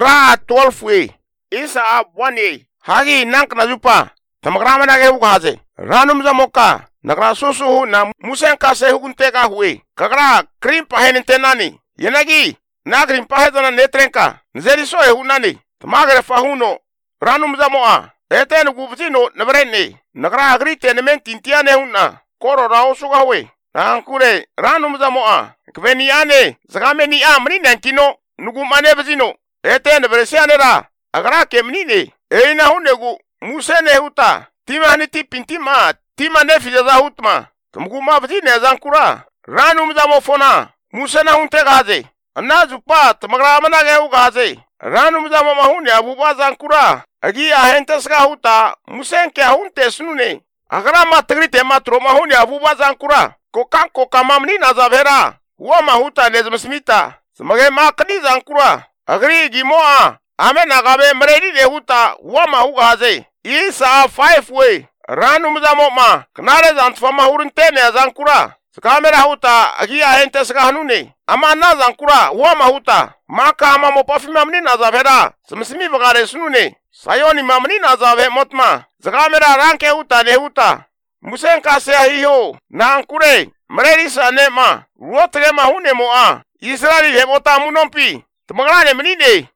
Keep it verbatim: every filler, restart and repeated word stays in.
tra twelve we isa abwane hagi nank na jupa tamagrama na ge hukaze ranum zamoka nagra susu na musen kase hukunte ka huwe kagra krim pahen tenani yenagi na krim pahedona netrenka nzeri so e hunani tamagre fahuno ranum zamoa eten gubtino nabrenne nagra agrite nemen tintiane hunna koro rao suga we nankure ranum zamoa kveniane zagameni amri nankino nugumane bezino eten bresianera agra kemnine eina hunegu musene huta timani tipintima timane fijaza hutma tumguma bezine zankura ranum zamo fona musena hunte gaze anazupa tamagra manage hu gaze ranum zamo mahuni abuba zankura agi ahente ska huta musen ke hunte sunune agra matrite matro mahuni abuba zankura kokan kokamamni nazavera wa mahuta nezmsmita smage makni zankura agri gimoa ame nagabe mredi de huta wa mahu gaze isa five way ranum zamo ma knare zantfama hurunte zankura skamera huta agi ahente ska hanune ama na zankura wa mahuta maka ama mopafi mamni nazavera smsmi bagare sunune sayoni mamni nazave motma skamera ranke huta ne huta musen kase hiyo nankure mredi sanema ruotre mahune moa Israeli hebota munompi tamagrane menine